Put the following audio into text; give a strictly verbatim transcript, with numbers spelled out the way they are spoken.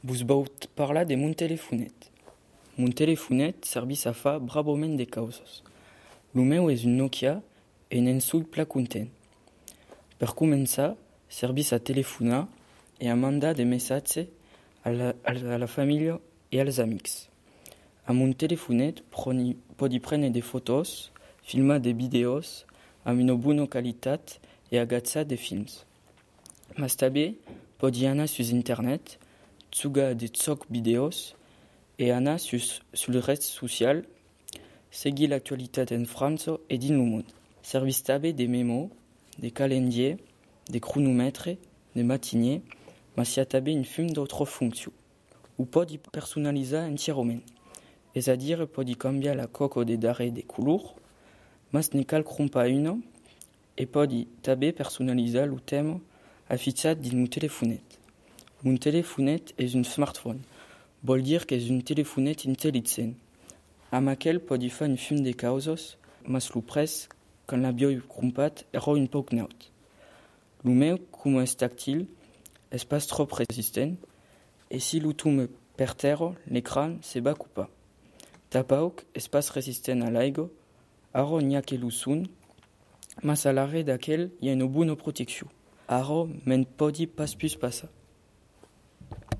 Vos baut parlar de mon telefonet. Mon telefonet servis a fa braboment de causes. Lo meu és un Nokia e n'en sou pla content. Per començar, servis a telefonar e a mandar de messatges a la, a la família e als amics. A mon telefonet proni, podi prendre de fotos, filmar de vídeos amb una bona qualitat e agatzar de films. Mas també podi anar sus internet, tsugar de tsoc vídeos e anar sus, sul red social, seguir l'actualitat en França e din lo món. Servis també de memo, de calendrier, de cronomètre, de matinier, mas hi ha també un fum d'autres fonccions. Ho podi personalitzar entierament, és a dir, podi canviar la coco de darrer de color, mas ne cal crompar una, e podi també personalitzar lo tema afixat dins mon telefonet. Mon telefonet és un smartphone, vol dir que és un telefonet intel·ligent, amb aquell podi fer un fum de causes, mas lo pres, quan l'havia crompat, era un poc naut. Lo meu, com és tàctil, és pas trop resistent, e si lo tomo per terra, l'ecran se va ocupar. Tampoc és pas resistent a l'aigua, ara n'hi ha que lo son, mas a l'arrere d'aquell hi ha una bona protecció. Ara me'n podi pas plus passar.